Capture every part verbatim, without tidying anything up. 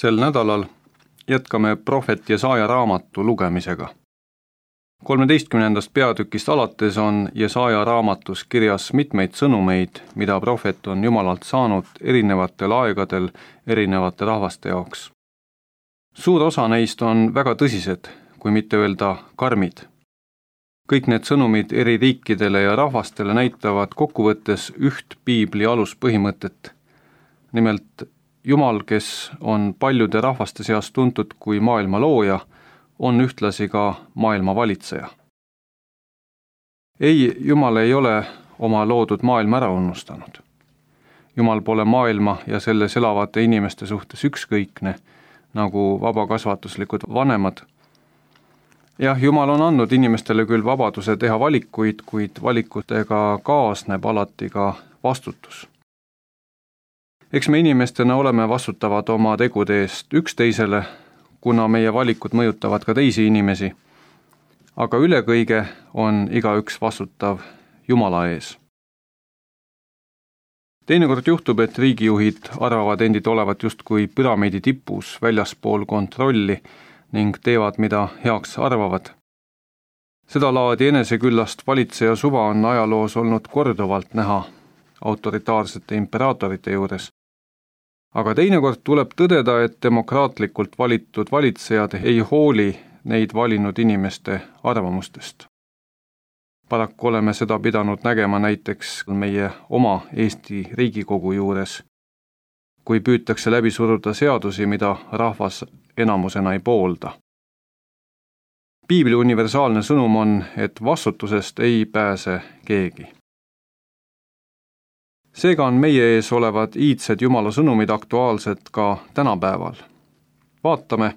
Sel nädalal jätkame prohvet Jesaja raamatu lugemisega. kolmeteistkümnendast peatükist alates on Jesaja raamatus kirjas mitmeid sõnumeid, mida prohvet on Jumalalt saanud erinevatel aegadel erinevate rahvaste jaoks. Suur osa neist on väga tõsised, kui mitte öelda karmid. Kõik need sõnumid eri riikidele ja rahvastele näitavad kokkuvõttes üht piibli aluspõhimõtet. Nimelt, Jumal, kes on paljude rahvaste seas tuntud kui maailma looja, on ühtlasi ka maailma valitseja. Ei, Jumal ei ole oma loodud maailma ära unustanud. Jumal pole maailma ja selles elavate inimeste suhtes ükskõikne, nagu vabakasvatuslikud vanemad. Jah, Jumal on andnud inimestele küll vabaduse teha valikuid, kuid valikutega kaasneb alati ka vastutus. Eks me inimestena oleme vastutavad oma tegude eest üksteisele, kuna meie valikud mõjutavad ka teisi inimesi, aga üle kõige on igaüks vastutav Jumala ees. Teinekord juhtub, et riigijuhid arvavad endid olevat justkui püramiidi tipus väljaspool kontrolli ning teevad, mida heaks arvavad. Seda laadi eneseküllast valitseja suva on ajaloos olnud korduvalt näha autoritaarsete imperaatorite juures. Aga teinekord tuleb tõdeda, et demokraatlikult valitud valitsejad ei hooli neid valinud inimeste arvamustest. Paraku oleme seda pidanud nägema näiteks meie oma Eesti Riigikogu juures, kui püütakse läbi suruda seadusi, mida rahvas enamusena ei poolda. Piibli universaalne sõnum on, et vastutusest ei pääse keegi. Seega on meie ees olevad iidsed Jumala sõnumid aktuaalsed ka tänapäeval. Vaatame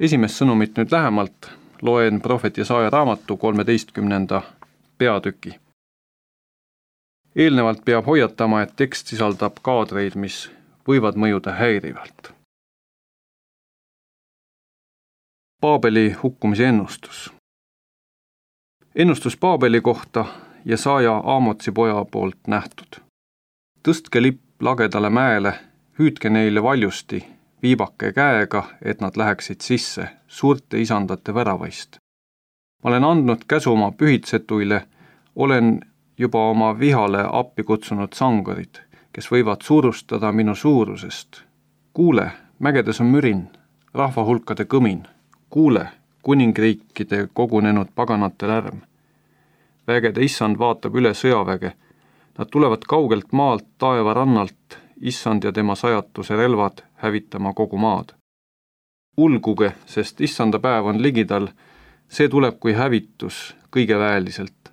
esimest sõnumit nüüd lähemalt, loen prohvet Jesaja raamatu kolmeteistkümnenda peatüki. Eelnevalt peab hoiatama, et tekst sisaldab kaadreid, mis võivad mõjuda häirivalt. Paabeli hukkumise ennustus. Ennustus Paabeli kohta Jesaja Aamotsi poja poolt nähtud. Tõstke lipp lagedale mäele, hüüdke neile valjusti, viibake käega, et nad läheksid sisse suurte isandate väravaist. Ma olen andnud käsu oma pühitsetuile, olen juba oma vihale appi kutsunud sangarid, kes võivad suurustada minu suurusest. Kuule, mägedes on mürin, rahvahulkade kõmin. Kuule, kuningriikide kogunenud paganate lärm. Vägede issand vaatab üle sõjaväge. Nad tulevad kaugelt maalt taeva rannalt, issand ja tema sajatuse relvad hävitama kogu maad. Ulguge, sest issanda päev on ligidal, see tuleb kui hävitus kõige väeliselt.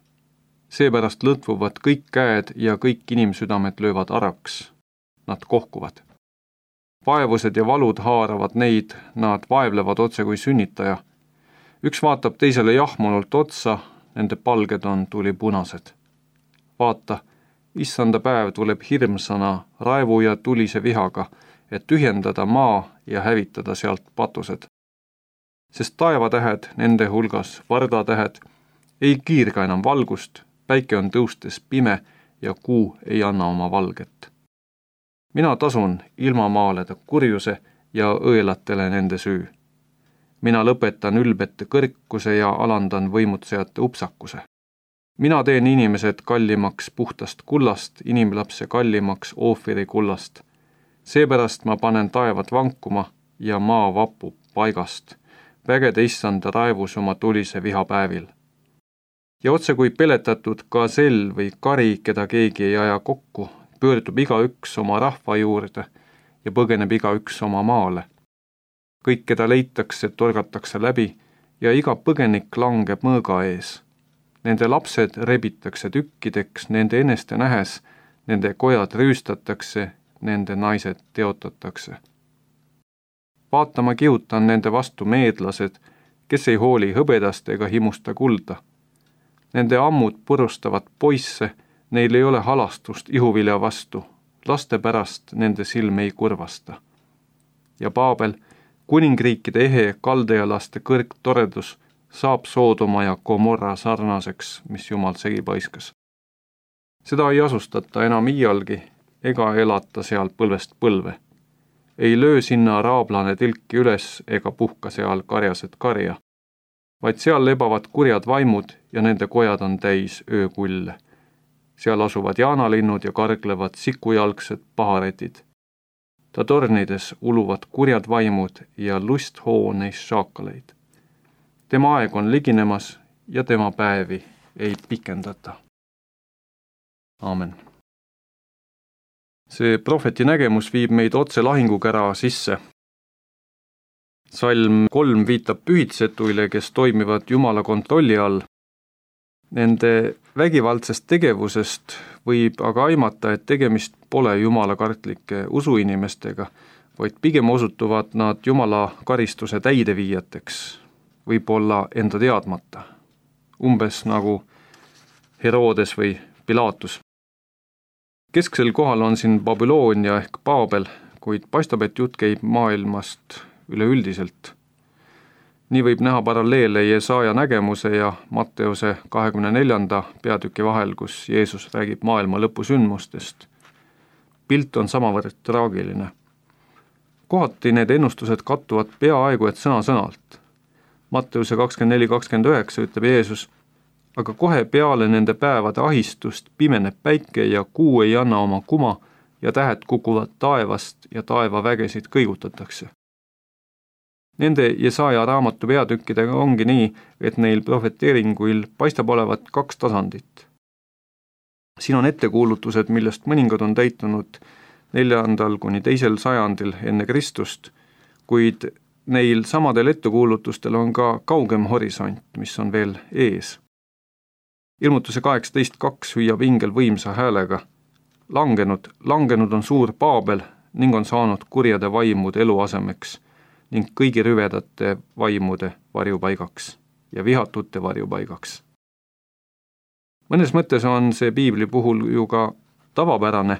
Seepärast lõtvuvad kõik käed ja kõik inimsüdamed löövad araks. Nad kohkuvad. Vaevused ja valud haaravad neid, nad vaevlevad otse kui sünnitaja. Üks vaatab teisele jahmunult otsa, nende palged on tulipunased. Vaata, issanda päev tuleb hirmsana raevu ja tulise vihaga, et tühjendada maa ja hävitada sealt patused. Sest taevatähed, nende hulgas vardatähed, ei kiirga enam valgust, päike on tõustes pime ja kuu ei anna oma valget. Mina tasun ilmamaalede kurjuse ja õelatele nende süü. Mina lõpetan ülbete kõrkuse ja alandan võimutsejate upsakuse. Mina teen inimesed kallimaks puhtast kullast, inimlapse kallimaks oofiri kullast. Seepärast ma panen taevad vankuma ja maa vapub paigast, vägede issanda raevus oma tulise vihapäevil. Ja otse kui peletatud gasell või kari, keda keegi ei aja kokku, pöördub igaüks oma rahva juurde ja põgeneb igaüks oma maale. Kõik, keda leitakse, torgatakse läbi ja iga põgenik langeb mõõga ees. Nende lapsed rebitakse tükkideks, nende eneste nähes, nende kojad rüüstatakse, nende naised teotatakse. Vaatama kihutan nende vastu meedlased, kes ei hooli hõbedast ega himusta kulda. Nende ammud purustavad poisse, neil ei ole halastust ihuvilja vastu, laste pärast nende silm ei kurvasta. Ja Paabel, kuningriikide ehe kaldealaste kõrgtoredus, saab Soodoma ja Gomorra sarnaseks, mis Jumal segi paiskas. Seda ei asustata enam iialgi ega elata seal põlvest põlve. ei löö sinna raablane tilki üles ega puhka seal karjased karja, vaid seal lebavad kurjad vaimud ja nende kojad on täis öökulle. Seal asuvad jaanalinnud ja karglevad sikujalgsed paharetid. Ta tornides uluvad kurjad vaimud ja lust hoo neist šaakaleid. Tema aeg on liginemas ja tema päevi ei pikendata. Aamen. See prohveti nägemus viib meid otse lahingukära sisse. Salm kolm viitab pühitsetuile, kes toimivad Jumala kontrolli all. Nende vägivaldsest tegevusest võib aga aimata, et tegemist pole Jumala kartlike usuinimestega, vaid pigem osutuvad nad Jumala karistuse täideviijateks, võib-olla enda teadmata, umbes nagu Herodes või Pilatus. Kesksel kohal on siin Babyloonia ehk Paabel, kuid paistab, et jutt käib maailmast üleüldiselt. Nii võib näha paralleele Jesaja nägemuse ja Matteuse kahekümne neljanda peatüki vahel, kus Jeesus räägib maailma lõpusündmustest. Pilt on samavõrd traagiline. Kohati need ennustused kattuvad peaaegu et sõna-sõnalt. Matteuse kakskümmend neli kakskümmend üheksa ütleb Jeesus, aga kohe peale nende päevade ahistust pimeneb päike ja kuu ei anna oma kuma ja tähed kukuvad taevast ja taevavägesid kõigutatakse. Nende Jesaja raamatu peatükkidega ongi nii, et neil prohveteeringuil paistab olevat kaks tasandit. Siin on ettekuulutused, millest mõningad on täitunud neljandal kuni teisel sajandil enne Kristust, kuid neil samadel ettekuulutustel on ka kaugem horisont, mis on veel ees. Ilmutuse kaheksateist kaks hüüab ingel võimsa häälega. Langenud, langenud on suur Paabel ning on saanud kurjade vaimude eluasemeks ning kõigi rüvedate vaimude varjupaigaks ja vihatute varjupaigaks. Mõnes mõttes on see piibli puhul ju ka tavapärane,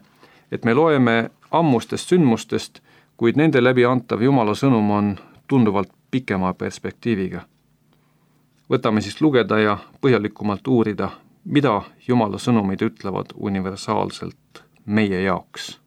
et me loeme ammustest sündmustest, kuid nende läbi antav Jumala sõnum on tunduvalt pikema perspektiiviga. Võtame siis lugeda ja põhjalikumalt uurida, mida Jumala sõnumid ütlevad universaalselt meie jaoks.